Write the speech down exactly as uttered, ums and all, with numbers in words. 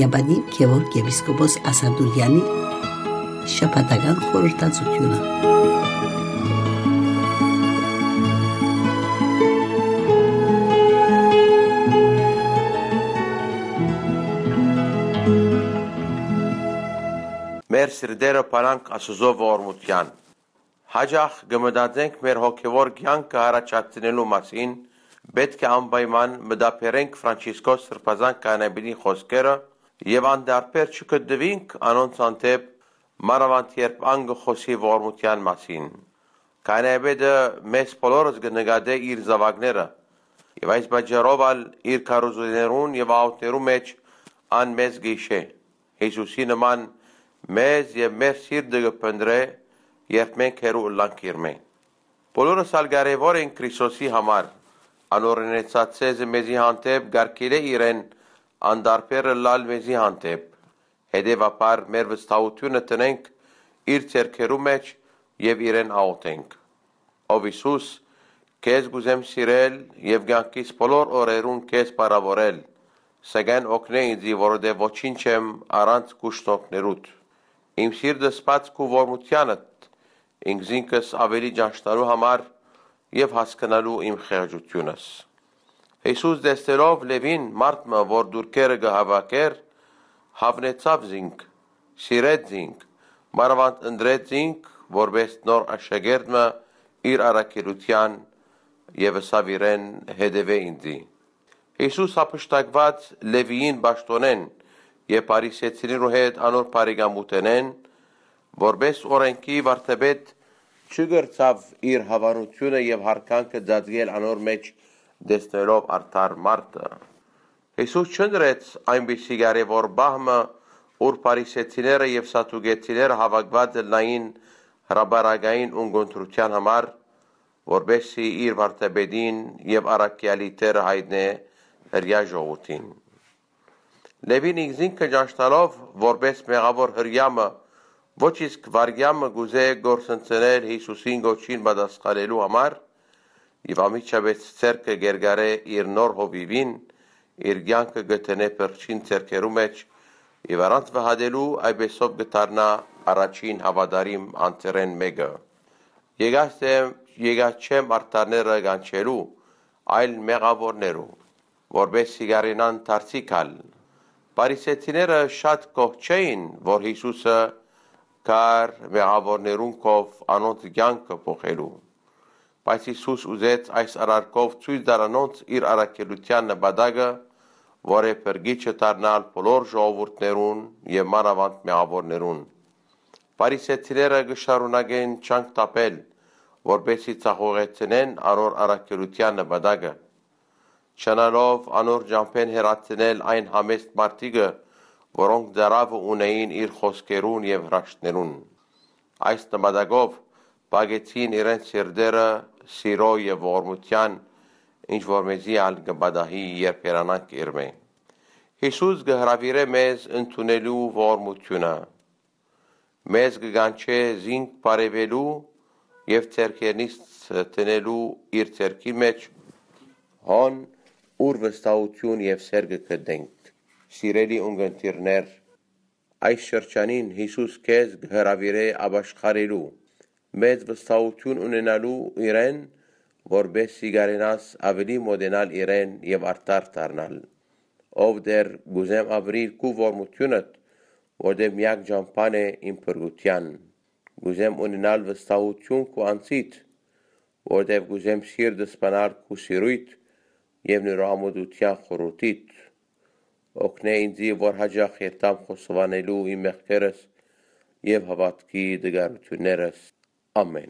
Պատիւ Գեորգ եպիսկոպոս Ասատուրեանի շաբաթական խորհրդածութիւնը։ Մեր սիրտերը փանանք Աստուծոյ ողորմութեան։ Յաճախ կը մտածենք մեր հոգեւոր կեանքը յառաջացնելու մասին, պէտք է անպայման մտաբերենք Ֆրանցիսկոս Սրբազան քահանայապետին խօսքերը եւ անտարբեր չգտնուինք անոնց հանդէպ, մանաւանդ երբ ան կը խօսի ողորմութեան մասին։ Քահանայապետը մեզ բոլորս կը նկատէ իր զաւակները, եւ այս պատճառով ալ իր քարոզութիւններուն եւ աղօթքներու մէջ ան մեզ կը յիշէ։ Յիսուսի նման մեզ եւ մեր սիրտը կը փնտռէ, երբ մենք հեռու ըլլանք իրմէ։ Բոլորս ալ կարեւոր ենք Քրիստոսի համար։ Անոր ունեցած ծեզը մեզի հանդէպ կարգիլէ իրեն անտարբեր ըլլալ մեզի հանդէպ։ Հետեւաբար մեր վստահութիւնը դնենք իր ձեռքերու մէջ եւ իրեն աղօթենք։ Ով Յիսուս, քեզ կ'ուզեմ սիրել եւ կեանքիս բոլոր օրերուն քեզ փառաւորել, սակայն օգնէ ինծի, որովհետեւ ոչինչ չեմ առանց քու շնորհքներուդ։ Իմ սիրտս բաց քու ողորմութեանդ, ինքզինքս աւելի ճանչնալու համար եւ հասկնալու իմ խեղճութիւնս։ Յիսուս, տեսնելով Լևին, մարդ մը, որ տուրքերը կը հաւաքէր, հաւնեցաւ զինք, սիրեց զինք, մանաւանդ ընտրեց զինք, որպէս նոր աշակերտ մը իր առաքելութեան, եւ ըսաւ իրեն. «Հետեւէ ինծի»։ Յիսուս հափշտակուած Լևիին պաշտօնէն եւ Փարիսեցիներու հետ անոր բարեկամութենէն, որպէս օրէնքի վարդապետ, չկրցաւ իր հաւանութիւնը եւ յարգանքը ծածկել անոր մէջ, տեսնելով արդար մարդը։ Յիսուս չընտրեց այնպիսի կարեւոր պահ մը, ուր Փարիսեցիները եւ Սատուկեցիները հաւաքուած ըլլային հրապարակային ունգընտրութեան համար, որպէս զի իր վարդապետին եւ առաքեալի դերը յայտնէ հրեայ ժողովուրդին։ Լևին ինքզինքը ճանչնալով որպէս մեղաւոր հրեայ մը, ոչ իսկ վարդապետ մը կ'ուզէ կորսնցնել Յիսուսին կոչին պատասխանելու համար, եւ անմիջապէս ձեռքը կ'երկարէ իր նոր հովիւին, իր կեանքը կը դնէ փրկչին ձեռքերու մէջ, եւ առանց վհատելու այդպէսով կը դառնայ առաջին հաւատարիմ անձերէն մէկը։ Եկած եմ, եկած չեմ արդարները կանչելու, այլ մեղաւորներու, որպէս զի կարենան դարձի գալ։ Փարիսեցիները շատ գոհ չէին, որ Յիսուսը գար մեղաւորներուն քով անոնց կեանքը փոխելու։ Բայց Յիսուս ուզեց այս արարքով ցոյց տալ անոնց իր առաքելութեան նպատակը, որ է փրկիչը դառնալ բոլոր ժողովուրդներուն եւ մանաւանդ մեղաւորներուն։ Փարիսեցիները կը շարունակեն չանք թափել, որպէս զի ձախողեցնեն անոր առաքելութեան նպատակը, չնալով անոր ճամբէն հեռացնել այն համեստ մարդիկը, որոնք ծարաւը ունէին իր խօսքերուն եւ հրաշքներուն։ Այս նպատակով փակեցին իրենց սիրտերը սիրոյ եւ ողորմութեան, ինչ որ մեզի ալ կը պատահի, երբ հեռանանք իրմէ։ Յիսուս կը հրաւիրէ մեզ ընդունելու ողորմութիւնը։ Մեզ կը կանչէ զինք բարեւելու եւ ձեռքերնից դնելու իր ձեռքի մէջ, հոն, ուր վստահութիւն եւ սէր կը գտնենք։ Սիրելի ունգընտիրներ, այս շրջանին Յիսուս քեզ կը հրաւիրէ ապաշխարելու, մեծ վստահութիւն ունենալու իրեն, որպէս զի կարենաս աւելի մօտենալ իրեն եւ արդար դառնալ։ Ով Տէր, կ'ուզեմ ապրիլ քու ողորմութիւնդ, որտեղ միակ ճամբան է իմ փրկութեան։ Կ'ուզեմ ունենալ վստահութիւն քու անձիդ, որտեղ կ'ուզեմ սիրտս բանալ քու սիրոյդ եւ նորամուտության խորհուրդիդ։ Օգնէ ինձի, որ յաճախ երթամ խոստովանելու իմ մեղքերս եւ հաւատքի տկարութիւններս։ Ամէն։